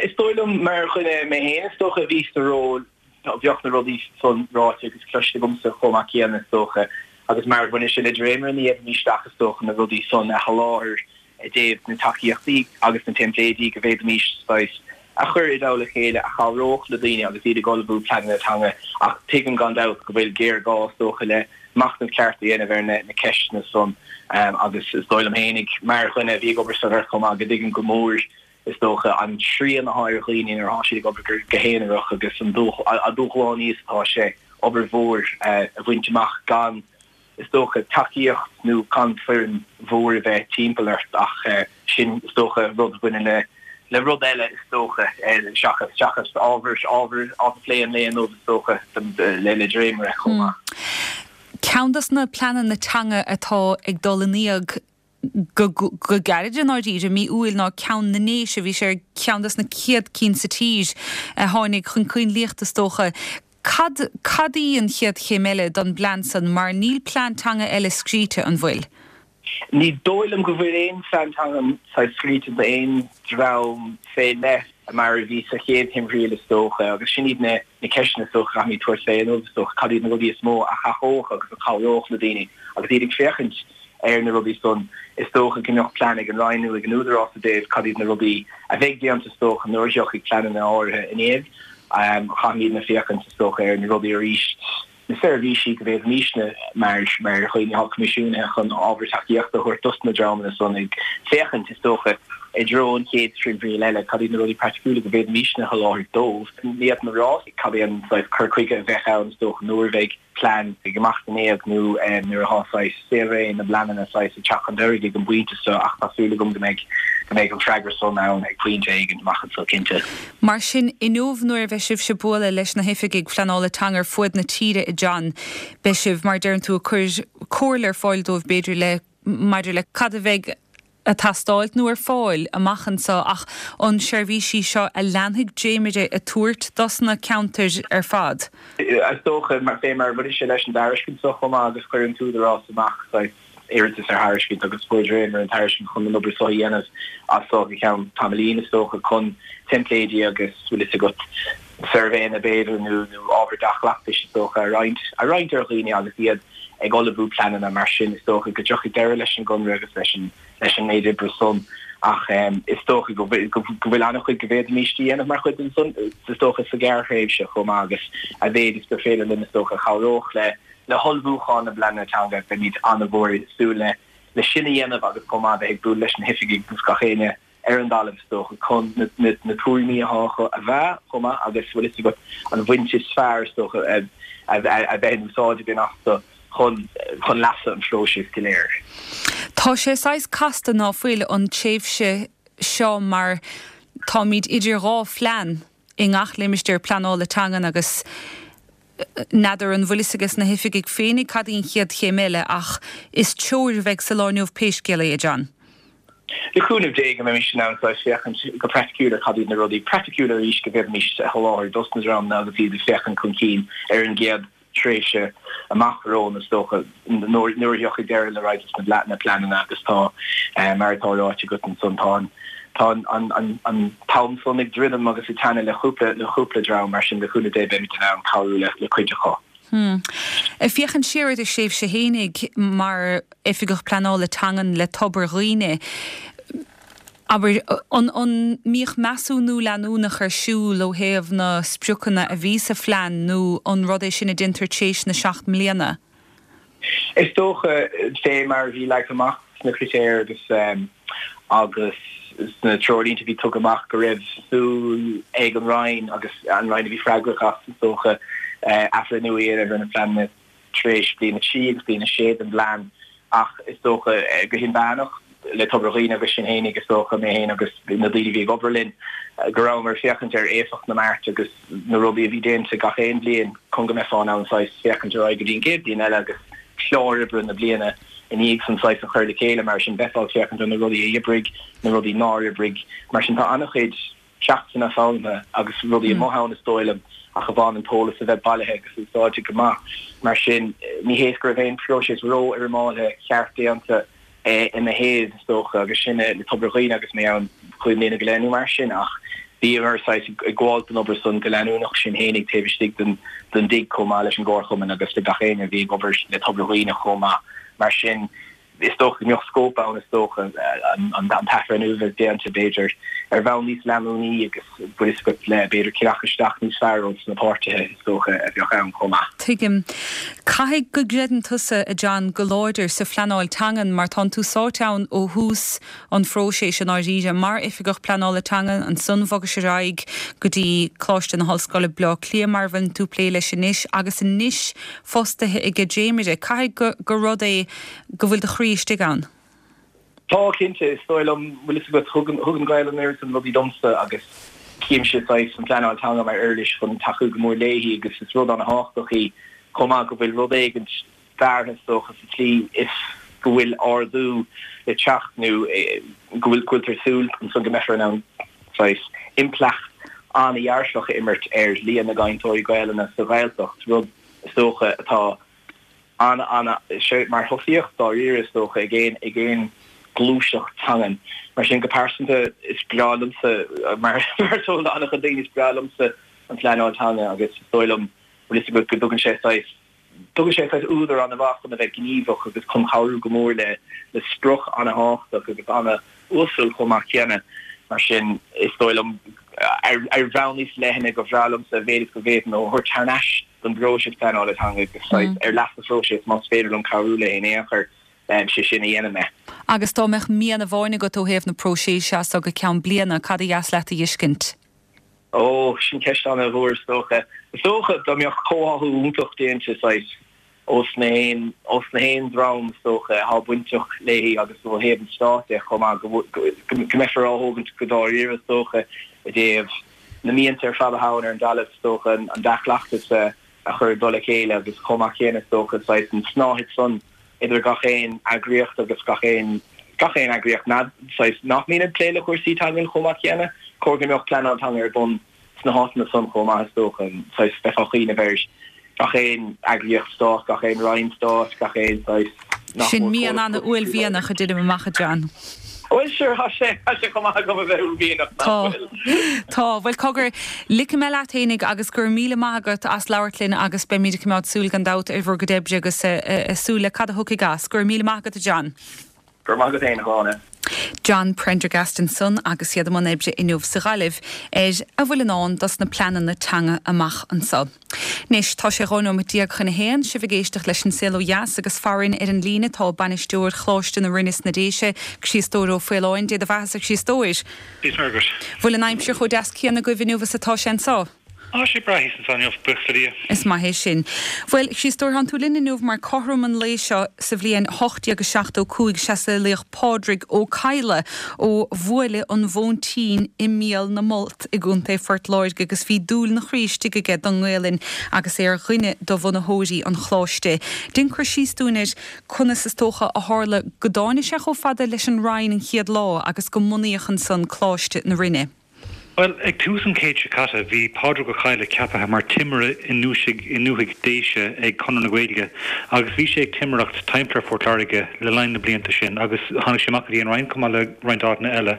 [SPEAKER 4] Is dóigh liom mar dhuine mé féin is dócha a bhí sa ról Bheadh na rudaí san ráite agus cloiste agamsa chomh maith céanna, is dócha, agus mar a bhaineann sé le Dréimire, ní fhéadfaimis ach, is dócha, na rudaí san a sholáthar i dtaobh na tacaíochtaí agus na teimpléidí go bhféadfaimis saghas a chur i dtoll a chéile a chabhródh le daoine agus iad ag ullmhú pleananna teanga ach tuigim gan dabht go bhfuil géarghá, is dócha, le machnamh ceart a dhéanamh ar na ceisteanna san agus is dóigh liom fhéinig, mar dhuine a bhí ag obair sa ghort chomh maith, go dtuigim go mór is dócha, an srian atá ar dhaoine nuair atá siad ag obair go haonarach agus an dúshlánaí is atá sé obair mhór a bhaint amach gan, is dócha, tacaíocht nó gan foireann mhór a bheith timpeall ort ach sin, is dócha, rud a bhaineann le le rud eile, is dócha, seachas seachas ábhar ábhar ábhar plé an lae inniu, is dócha, le le Dréimire chomh maith.
[SPEAKER 1] Ceann dos na pleananna teanga atá ag dul in éag go gairid i ndáiríre, mí Iúil ná ceann na nDéise, bhí sé ar cheann dos na chéad cinn sa tír a tháinig chun coinlíochta is dócha. Cad, cad í an chéad chéim eile don bplean san mar níl plean teanga eile scríte, an bhfuil?
[SPEAKER 4] Ní dóigh liom go bhfuil aon phlean teanga saghas scríte d'aon dream fé leith mar a bhí sa chéad thimthriall is dócha agus sin iad na na ceisteanna is dócha a chaithfimid tabhairt fé inniu is dócha, cad iad na rudaí is mó a thacódh agus a chabhródh le daoine agus iad ag féachaint ar na rudaí san. Is dócha go mbeadh plean ag an Roinn nó ag an Údarás i dtaobh cad iad na rudaí a bheidh déanta is dócha nuair a thiocfaidh pleananna áirithe in éag. Caithfimidne féachaint is dócha ar na rudaí arís, na seirbhísí go bhféadfaimísne mar mar dhaoine atá coimisiúnaithe chun ábhar tacaíochta a thabhairt dos na dreamanna san ag féachaint is dócha i dtreo an chéad timthriall eile, cad iad na rudaí praiticiúla go bhféadfaimísne a sholáthar dóibh. Ní fhéadfainn a rá cad é an saghas cur chuige a bheadh ann is dócha nuair a bheidh plean ag imeacht in éag nó nuair atá saghas saolré na bpleananna saghas ag teacht chun deiridh ag an bpointe seo ach tá súil agam go mbeidh go mbeidh an freagra san ann ag pointe éigin amach anseo cinnte.
[SPEAKER 1] Mar sin, inniu nuair a bheidh sibhse ag bualadh leis na hoifigigh phleanála teanga ar fuaid na tíre, a John, beidh sibh, mar a deireann tú, ag cur comhairle ar fáil dóibh b'fhéidir le maidir le cad a bheidh ag teastáilt nó ar fáil amach anseo ach an seirbhísí seo a leanfaidh Dréimire ag tabhairt dos na ceantair ar fad.
[SPEAKER 4] Is dócha mar fé mar bhain sé leis an dtairiscint seo chomh maith agus chuir an tÚdarás amach saghas iarratas ar thairiscint agus fuair Dréimire an tairiscint chun an obair seo a dhéanamh as seo go ceann tamaillín is dócha chun teimpléidí agus bhfuil fhios agat suirbhéanna b'fhéidir nó nó ábhar dea-chleachtais is dócha a roinnt a roinnt ar dhaoine agus iad ag ullmhú pleananna mar sin is dócha go dtiocfaidh deireadh leis an gconradh agus leis an leis an méid oibre san ach is dócha go go bhfuil an-chuid go bhféadfaimis a dhéanamh mar chuid den san is dócha sa ghearrthréimhse chomh maith agus a mhéid is gur féidir linn is dócha chabhródh le le hullmhúchán na bpleananna teanga beimid an-mhór ag súil le le sin a dhéanamh agus chomh maith bheith ag bualadh leis na hoifigigh agus gach éinne ar an dtalamh is dócha chun na na na tuairimí atá acu a mheá chomh maith agus bhfuil fhios agat an bhaint is fearr is dócha a a a bheith in úsáid againn astu chun chun leasa an phróisis go léir.
[SPEAKER 1] Tá sé saghas casta ná fuil an tréimhse seo mar táimid idir dhá phlean i ngach limistéar pleanála teangan agus n'fheadar an bhfuil fhios ages na hoifigigh féinig cad í an chéad chéim eile ach is treoir a bheidh sa lá inniu pé scéal é, a John.
[SPEAKER 4] Le cúnamh Dé go mbeimis in ann saghas féachaint go praiticiúil ar cad iad na rudaí praiticiúla arís go bhféadfaimis a sholáthar dos na dreamanna agus iad ag féachaint chun cinn ar an gcéad tréimhse amach romhainn is dócha nuair a thiocfaidh deireadh le roinnt dos na pleananna agus tá mar atá ráite agat ansan tá an tá an an an t-am san ag druidim agus ag teannadh le cúpla le cúpla dream mar sin le cúnamh Dé beimid in ann cabhrú le le cuid acu.
[SPEAKER 1] Hmm. Ag féachaint siar ar do thréimhse fhéinig mar Oifigeach Pleanála Teangan le Tobar Dhuibhne, abair, an an mbíodh measúnú leanúnach ar siúl ó thaobh na spriocanna a bhí sa phlean nó an rud é sin a déantar tar éis na seacht mbliana?
[SPEAKER 4] Is dócha fé mar a bhí leagtha amach sna critéir agus agus sna treoirlínte a bhí tugtha amach go raibh súil ag an Roinn agus an Roinn a bhí freagrach as is dócha athbhreithniú a dhéanamh ar na pleananna tar éis bliain a trí agus bliain a sé den bplean ach is dócha go hinmheánach le Tobar Dhuibhne agus sinn fhéinig is dócha mé féin agus na daoine a bhí ag obair linn go rabhamar ag féachaint ar éifeacht na mbeart agus na rudaí a bhí déanta gach aon bhliain chun go mbeifeá in ann saghas féachaint ar aghaidh go dtí an gcéad bhliain eile agus clár oibre na bliana ina dhiaidh san saghas a chur le chéile mar sin bheifeá ag féachaint ar na rudaí a oibrigh, na rudaí nár oibrigh. Mar sin tá an-chuid ceachtanna foghlamtha agus rudaí amuigh ann is dóigh liom ach amháin an t-eolas a bheith bailithe agus úsáidte go maith. Mar sin ní hé go raibh aon phróiseas ró-fhoirmeáltha ceart déanta ina thaobh is dócha agus sin le Tobar Dhuibhne agus mé ann cúig mbliana go leith nó mar sin ach bhíomar saghas ag gabháil don obair san go leanúnach sinn fhéinig taobh istigh den den dtigh chomh maith leis an gcomharchumann agus le gach éinne a bhí ag obair le Tobar Dhuibhne chomh maith. Mar sin is dócha go mbeadh scóip ann is dócha an an t-athbhreithniú a bheith déanta b'fhéidir ar bhonn níos leanúnaí agus bhfuil fhios agat le b'fhéidir teacht isteach níos fearr ó na páirtithe is dócha a bheadh ann chomh maith.
[SPEAKER 1] Tuigim. Caithfidh go gcreideann tusa, a John, go láidir sa phleanáil teangan mar tánn tú sáite ann ó thús an phróisis i ndáiríre mar Oifigeach Pleanála Teangan, ansan bhogais ar aghaidh go dtí Coláiste na hOllscoile Bleá Cliath mar a bhfuil tú ag plé leis anois agus anois fostaithe ag Dréimire. Caithfidh go gur rud é go bhfuil do chroí istigh ann.
[SPEAKER 4] Tá cinnte, is dóigh liom, bhfuil fhios agat, thug thug an Ghaelainn an oiread san rudaí domsa agus címse saghas an phleanáil teanga mar uirlis chun tacú go mór léi agus is rud an-thábhachtach í chomh maith go bhfuil rud éigint deartha is dócha sa tslí is go bhfuil ardú le teacht nó go bhfuil go bhfuiltear súil ansan go mbeifear in ann saghas impleacht an-dhearfach a imirt ar líon na gcainteoirí Gaelainne sa Ghaeltacht, rud is dócha atá an an sé mar thosaíocht dáiríre is dócha ag aon ag aon gluaiseacht teangan. Mar sin go pearsanta is breá liomsa mar mar is eol d'an-chuid daoine is breá liomsa an phleanáil teanga agus is dóigh liom bhfuil fhios agat go dtugann sé saghas tugann sé saghas údar an-mhaith chun a bheith gníomhach agus chun cabhrú go mór le le sprioc an-thábhachtach agus an-uasal chomh maith céanna. Mar sin is dóigh liom ar ar bhonn níos leithne gur bhreá liomsa a mhéid is go bhféadfainn a thabhairt thar n-ais don bpróiseas pleanála teanga agus saghas ar leas an phróisis más féidir liom cabhrú le in aon chor sé sin a dhéanamh mé.
[SPEAKER 1] Agus dá mbeadh mian amháin agat ó thaobh na próiseas as go ceann bliana, cad a dheas leat a fheiscint?
[SPEAKER 4] Ó, sin ceist an-mhór is dócha. Is dócha dá mbeadh comhtháthú iontach déanta saghas ós na haon ós na haon dream is dócha atá bainteach léi agus ó thaobh an stáit de chomh maith go go mbeifear á thógaint go dáiríre is dócha i dtaobh na mianta ar fad atá ann ar an dtalamh is dócha an dea-chleachtas a a chur i dtoll a chéile agus chomh maith céanna is dócha saghas an tsnáthaid san idir gach aon eagraíocht agus gach aon gach aon eagraíocht saghas nach mbíonn ag plé le cúrsaí teangan chomh maith céanna, chóir go mbeadh pleanáil teanga ar bun sna háiteanna san chomh maith is dócha, saghas bheifeá ag cuimhneamh ar gach aon eagraíocht stáit, gach aon roinn stáit, gach aon saghas
[SPEAKER 1] nach Sin mian an-uaillmhianach a deirim amach, a John.
[SPEAKER 4] Bhuel sure, tá sé tá sé chomh maith agam a bheith uaillmhianach nach
[SPEAKER 1] Tá.
[SPEAKER 4] bhfuil.
[SPEAKER 1] Tá. Bhuel cogar, ligfidh mé leat fhéinig agus go raibh míle maith agat as labhairt linn agus beimid ag coimeád súil gan dabht ar bhur gcuid oibre agus súil le cad a thiocfaidh as. Go raibh míle maith agat a John.
[SPEAKER 4] Go raibh maith agat féin a Shláine.
[SPEAKER 1] John Prendergast ansan agus iad i mbun oibre inniu sa Ghaillimh ar a bhfuil i ndán dos na pleananna teanga amach anso. Anois, tá sé dhá nóiméad déag chun a haon, sibh ag éisteacht leis An Saol Ó Dheas agus farainn ar an líne tá bainisteoir Choláiste na Rinne sna Déise, Críostóir Ó Faoláin. Dé do bheathasa, a Chríostóir.
[SPEAKER 5] Dia is Muire dhuit.
[SPEAKER 1] Bhfuil an aimsir chomh deas céanna agaibh inniu is atá sé anso?
[SPEAKER 5] Tá sé breá thíos anso inniu, buíochas le Dia.
[SPEAKER 1] Is maith é sin. Bhuel, Chríostóir, tánn tú linn inniu mar cothrom an lae seo sa bhliain ocht déag is seachtó cúig is ea saolaíodh Pádraig Ó Cadhla ó Bhuaile an Mhóintín i mBéal na Molt i gContae Phort Láirge agus bhí dúil 'na chroí istigh aige don nGaelainn agus é ar dhuine de bhunaitheoirí an Choláiste. Déan cur síos dúinn ar conas is dócha a tharla go dtáinig sé chomh fada leis an Rinn an chéad lá agus go mbunaíodh ansan Coláiste na Rinne.
[SPEAKER 5] Bhuel, ag tús an chéid seo caite, bhí Pádraig Ó Cadhla ceaptha mar timire i ndúthaigh Déise ag Conradh na Gaeilge agus bhí sé ag timireacht timpeall ar Phort Láirge le linn na blianta sin agus tháinig sé amach go dtí an Rinn chomh maith le roinnt áiteanna eile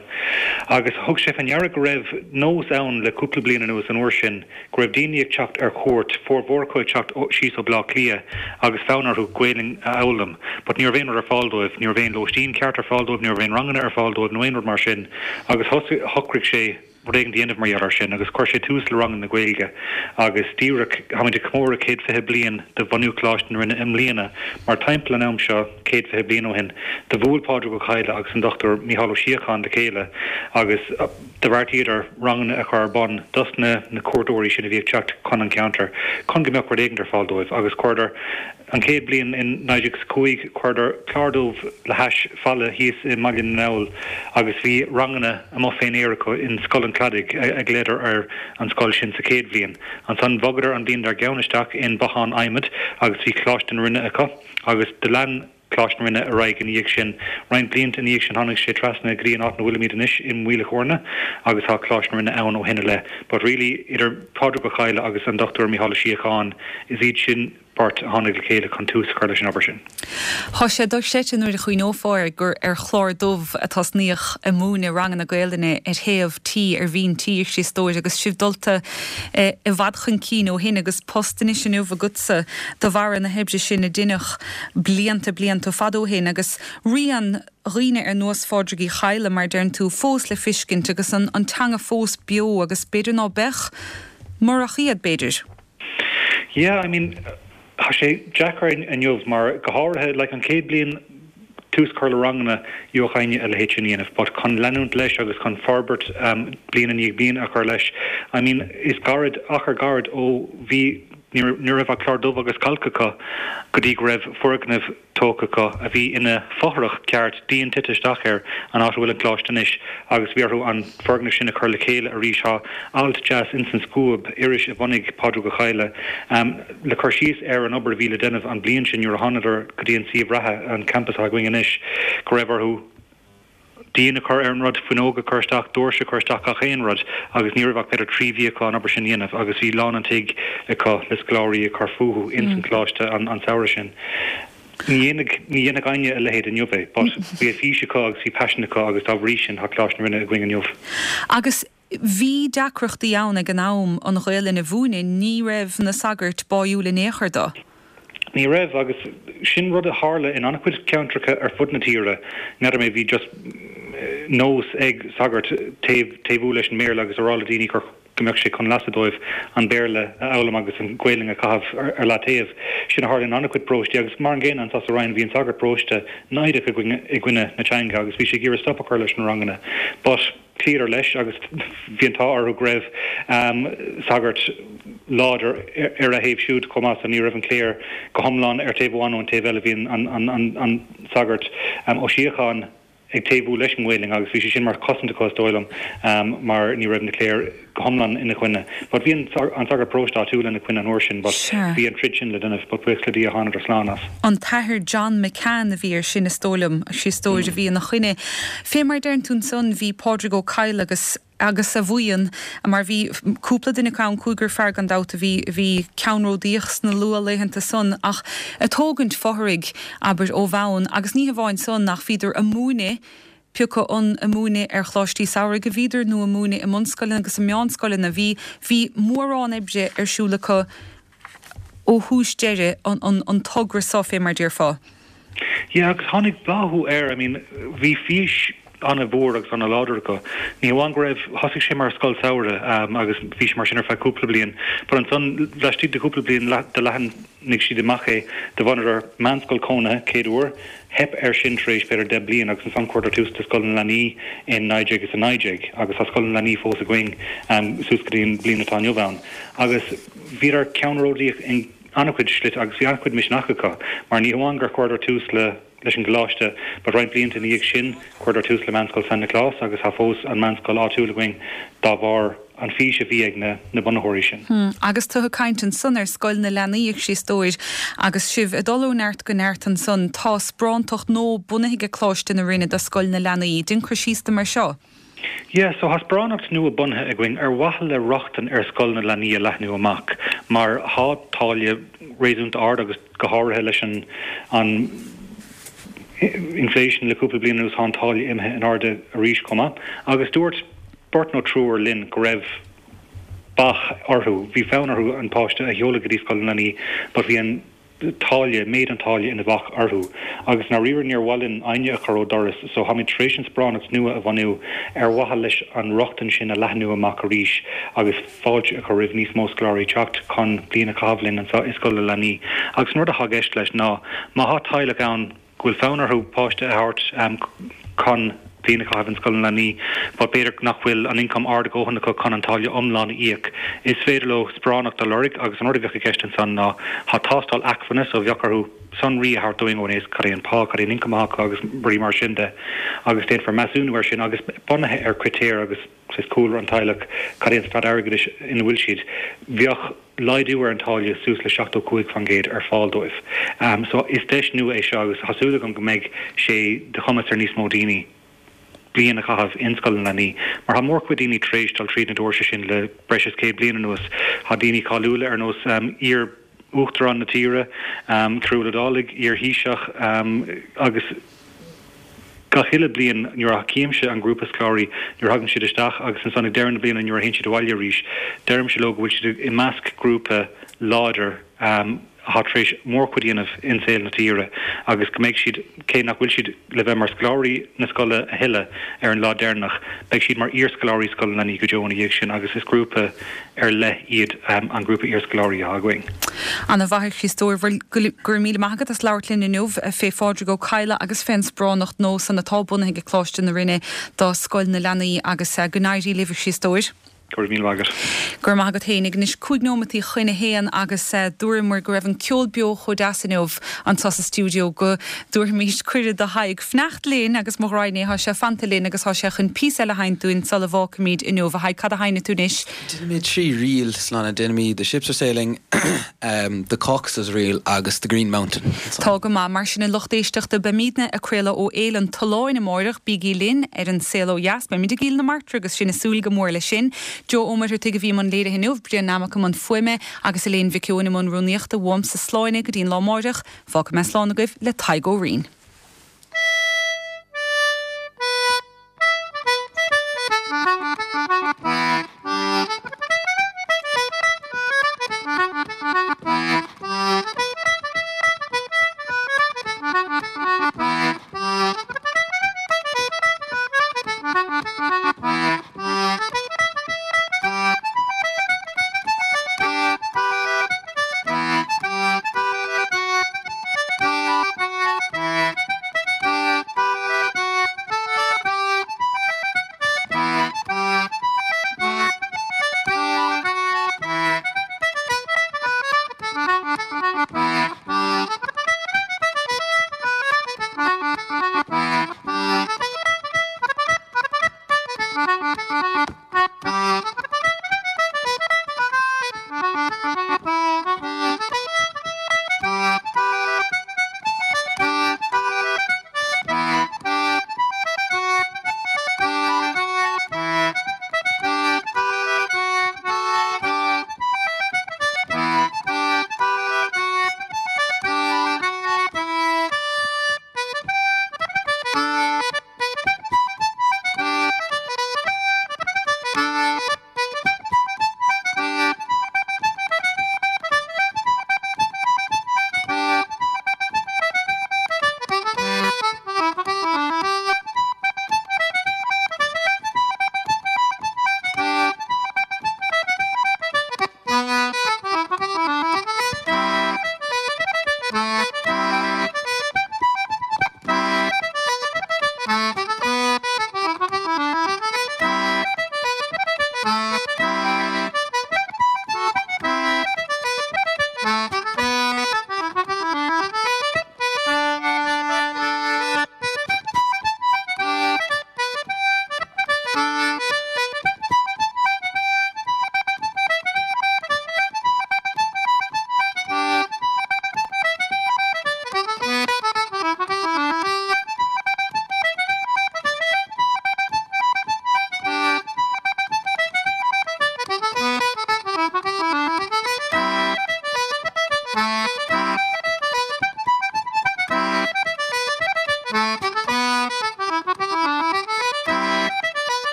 [SPEAKER 5] agus thug sé fé ndeara go raibh nós ann le cúpla bliain anuas an uair sin go raibh daoine ag teacht ar cuairt, formhór acu ag teacht síos ó Bleá Cliath agus fonn orthu Gaelainn a fhoghlaim but ní raibh aon rud ar fáil dóibh, ní raibh aon lóistín ceart ar fáil dóibh, ní raibh aon ranganna ar fáil dóibh nó aon rud mar sin agus shocraigh sé rud éigin a dhéanamh mar gheall air sin agus chuir sé tús le ranganna Gaeilge agus díreach, táimid ag comóradh céad fiche bliain de bhunú Choláiste na Rinne i mbliana mar timpeall an am seo céad fiche bliain ó shin do bhuail Pádraig Ó Cadhla agus an Dochtúir Mícheál Ó Síocháin le chéile agus do bheartaíodar ranganna a chur ar bun dos na na cuairteoirí sin a bhí ag teacht chun an cheantair chun go mbeadh rud éigin ar fáil dóibh agus chuireadar An chéad bhliain in naoi déag is cúig chuireadar clár dubh le hais falla thíos i mBaile na nGall agus bhí ranganna amuigh fén aer acu in Scoil an Chladaigh a ghlaodar ar an scoil sin sa chéad bhliain. Ansan bhogadar an bhliain dár gceann isteach in bothán adhmaid agus bhí Coláiste na Rinne acu agus do lean Coláiste na Rinne ar aghaidh ina dhiaidh sin. Roinnt blianta ina dhiaidh sin tháinig sé trasna go dtí an áit ina bhfuilimid anois i Maoil a' Chorna agus tá Coláiste na Rinne ann ó shin i leith. But really idir Pádraig Ó Cadhla agus an Dochtúir Mícheál Ó Síocháin is iad sin beirt a tháinig le chéile chun tús a chur leis an obair sin.
[SPEAKER 1] Tá sé dochreidte nuair a chuimhneofá air gur ar chlár dubh a tosnaíodh ag múineadh ranganna Gaelainne ar thaobh tí, ar bhinn tí, a Chríostóir, agus sibh dulta i bhfad chun cinn ó shin agus post anois inniu agatsa de bharra na hoibre sin a deineadh blianta, blianta fada ó shin agus rian dhaoine ar nós Phádraig Uí Chadhla, mar a deireann tú, fós le fiscint agus an teanga fós beo agus b'fhéidir ná beadh murach iad, b'fhéidir.
[SPEAKER 5] Yeah, I mean, tá sé deacair inniu mar go háirithe like an chéad bliain tús cur le ranganna gheobhadh éinne a leithéid sin a dhéanamh but chun leanúint leis agus chun forbairt um, bliain i ndiaidh bliain a chur leis I mean is gairid achar gairid ó bhí ní raibh ach clár dubh agus cailc acu go dtí go raibh foirgneamh tógtha acu a bhí ina fothrach ceart, díon tite isteach air, an áit a bhfuil an coláiste anois, agus bhí orthu an foirgneamh sin a chur le chéile arís. Tá alt deas ins an Scuab, iris a bhunaigh Pádraig Ó Cadhla, le cur síos ar an obair a bhí le déanamh an bhliain sin nuair a thánadar go dtí an suíomh reatha, an campas atá againn anois, go raibh orthu. díon a chur ar an rud, fuinneog a chur isteach, doirse a chur isteach, gach aon rud agus ní raibh ach b'fhéidir trí mhí acu an obair sin a dhéanamh agus bhí lán an tigh acu le scoláirí ag cur fúthu ins an choláiste an samhradh sin. Ní dhéanfadh, ní dhéanfadh éinne a leithéid inniu é but bhí fís acu agus bhí paisean acu agus dá bhrí sin tá Coláiste na Rinne againn inniu.
[SPEAKER 1] Agus bhí deacrachtaí ann ag an am an Ghaelainn a mhúineadh, ní raibh na sagairt báúil in aon chor do.
[SPEAKER 5] Ní raibh, agus sin rud a tharla in an-chuid ceantracha ar fud na tíre. N'fheadar mé, bhí just nós ag sagairt taobh, taobhú leis an mBéarla agus a rá le daoine gur, go mbeadh sé chun leasa dóibh an Béarla a fhoghlaim agus an Ghaelainn a chaitheamh ar leataobh. Sin a tharla in an-chuid paróistí agus mar an gcéanna anso sa Rinn, bhí an sagart paróiste naimhdeach i gcoinne, i gcoinne na teanga agus bhí sé ag iarraidh stop a chur leis na ranganna. But. Chloíodar leis agus bhí an t-ádh orthu go raibh sagart láidir ar a thaobh siúd chomh maith so ní raibh an chléir go hiomlán ar taobh amháin nó an taobh eile. Bhí an sagart Ó Síocháin ag taobhú leis an nGaelainn agus bhí sé sin mar chosaint acu is dóigh liom mar ní raibh na cléir go hiomlán ina choinne. But bhí an sagart paróiste áitiúil ina choinne an uair sin but bhí an troid sin le déanamh but buíochas le Dia thánadar slán as.
[SPEAKER 1] An tAthair John McCann a bhí air sin is dóigh liom, a Chriostóir, a bhí ina choinne. Fé mar deireann tú ansan bhí Pádraig Ó Cadhla agus agus a bhuíon, mar bhí cúpla duine acu ann, cúigear fear gan dabht a bhí, a bhí ceannródaíoch sna luathlaethanta san ach ag tógaint fothraigh, abair, ó bhonn agus ní hamháin san ach bhíodar ag múineadh, pé acu an ag múineadh ar choláistí samhraidh a bhíodar nó ag múineadh i mbunscoileanna agus i meánscoileanna, bhí, bhí mórán oibre ar siúl acu ó thús deireadh an, an, an togra so fé mar déarfá.
[SPEAKER 5] Yeah, agus tháinig bláthú air, I mean, bhí fís an-mhór agus an-láidir acu. Ní hamháin go raibh, thosaigh sé mar scoil samhraidh agus bhí sé mar sin ar feadh cúpla bliain, but ansan laistigh de chúpla bliain do leathnaigh siad amach é, do bhunadar meánscoil cónaithe céad uair, theip air sin tar éis b'fhéidir deich bliain agus ansan chuireadar tús le Scoil na Leanaí in naoi déag is a naoi déag agus tá Scoil na Leanaí fós againn suas go dtí an bhliain atá inniu ann agus bhíodar ceannródaíoch in an-chuid slite agus bhí an-chuid misneach acu mar ní hamháin gur chuireadar tús le leis an gcoláiste but roinnt blianta ina dhiaidh sin chuireadar tús le Meánscoil San Nioclás agus tá fós an meánscoil áitiúil againn dá bharr an fís a bhí ag na na bunaitheoirí sin.
[SPEAKER 1] Agus tú ag caint ansan ar Scoil na Leanaí a Chriostóir agus sibh ag dul ó neart go neart ansan tá sparántacht nua bunaithe ag Coláiste na Rinne do Scoil na Leanaí. Déan cur síos dom ar seo.
[SPEAKER 5] Yeah, so tá sparánacht nua bunaithe againn ar mhaithe le rochtain ar Scoil na Leanaí a leathnú amach mar thá táille réasúnta ard agus go háirithe leis an an inflation le cúpla bliain anuas thá an táille imithe in airde arís chomh maith agus dúirt beirt nó triúr linn go raibh bac orthu, bhí fonn orthu an páiste a sheoladh go dtí Scoil na Leanaí but bhí an táille, méid an táille ina bhac orthu. Agus i ndáiríre níor mhaith linn éinne a chur ó doras so tháimid tar éis an sparánacht nua a bhunú ar mhaithe leis an rochtain sin a leathnú amach arís agus fáilte a chur roimh níos mó scoláirí teacht chun bliain a chaitheamh linn anseo i Scoil na Leanaí. Agus an rud atá i gceist leis ná má thá teaghlach ann go bhfuil fonn orthu páiste a thabhairt chun bliain a chaitheamh in Scoil na Leanaí but b'fhéidir nach bhfuil an ioncam ard a dhóthain acu chun an táille iomlán a íoc. Is féidir leo sparánacht a lorg agus an rud a bheadh i gceist ansan ná thá tástáil acmhainne so bheadh orthu sonraí a thabhairt dúinn ó nós cad é an pá, cad é an ioncam atá acu agus rudaí mar sin de agus déanfar measúnú air sin agus bunaithe ar critéir agus saghas cúlra an teaghlach, cad é an staid airgeadais ina bhfuil siad. Bheadh laghdú ar an táille suas le seachtó cúig faoin gcéad ar fáil dóibh. So is deis nua é seo agus tá súil agam go mbeidh sé de chumas ar níos mó daoine bliain a chaitheamh in Scoil na Leanaí mar tá mórchuid daoine tar éis dul tríd na doirse sin le breis is céad bliain anuas. Tá daoine cáiliúla ar nós iar Uachtarán na tíre, Cearbhall Ó Dálaigh, iar-Thaoiseach agus gach uile bliain nuair a chímse an grúpa scoláirí nuair a thagann siad isteach agus ansan ag deireadh na bliana nuair a théann siad abhaile arís, deirimse leo go bhfuil siad i measc grúpa láidir atá tar éis mórchuid a dhéanamh in saol na tíre agus go mbeidh siad, cé nach bhfuil siad le bheith mar scoláirí na scoile a thuilleadh ar an lá deireanach, beidh siad mar iarscoláirí Scoil na Leanaí go deo ina dhiaidh sin agus is grúpa ar leith iad an grúpa iarscoláirí atá againn.
[SPEAKER 1] Ana mhaith a Chriostóir, bhuel go raibh míle maith agat as labhairt linn inniu fé Phádraig Ó Cadhla agus fén sparánacht nua san atá bunaithe ag Coláiste na Rinne do Scoil na Leanaí agus go n-éirí libh a Chriostóir.
[SPEAKER 5] Go raibh míle maith agat.
[SPEAKER 1] Go raibh maith agat fhéinig. Anois cúig nóimeataí chun a haon agus dúramar go raibh an ceol beo chomh deas inniu anseo sa stiúideo go dtabharfaimis cuireadh do Thadhg fanacht linn agus mo ghraidhin é, tá sé fanta linn agus tá sé chun píosa eile a sheinnt dúinn sula bhfágfaimid inniu. A Thaidhg, cad a sheinnfidh tú anois?
[SPEAKER 3] Déanfaimid trí ríl, Sláine. Déanfaimid The Ships Are Sailing, The Caucasus Reel agus The Green Mountain.
[SPEAKER 1] Tá go maith. Mar sin, a lucht éisteachta, beimidne ag craoladh ó Fhéile an tSuláin amáireach. Bígí linn ar An Saol Ó Dheas. Beimid i gCill na Martra agus sinn ag súil go mór leis sin. Joe Ó Muircheartaigh a bhí i mbun léirithe inniu, Brian Nammock i mbun fuaime agus Elaine Mhic Eoin i mbun rúnaíochta. Uaimse Sláine go dtí an lá amáireach, fágfaidh mé slán agaibh le Tadhg Ó Rinn.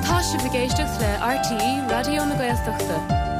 [SPEAKER 6] Tá sibh ag éisteacht le RTÉ Raidió na Gaeltachta.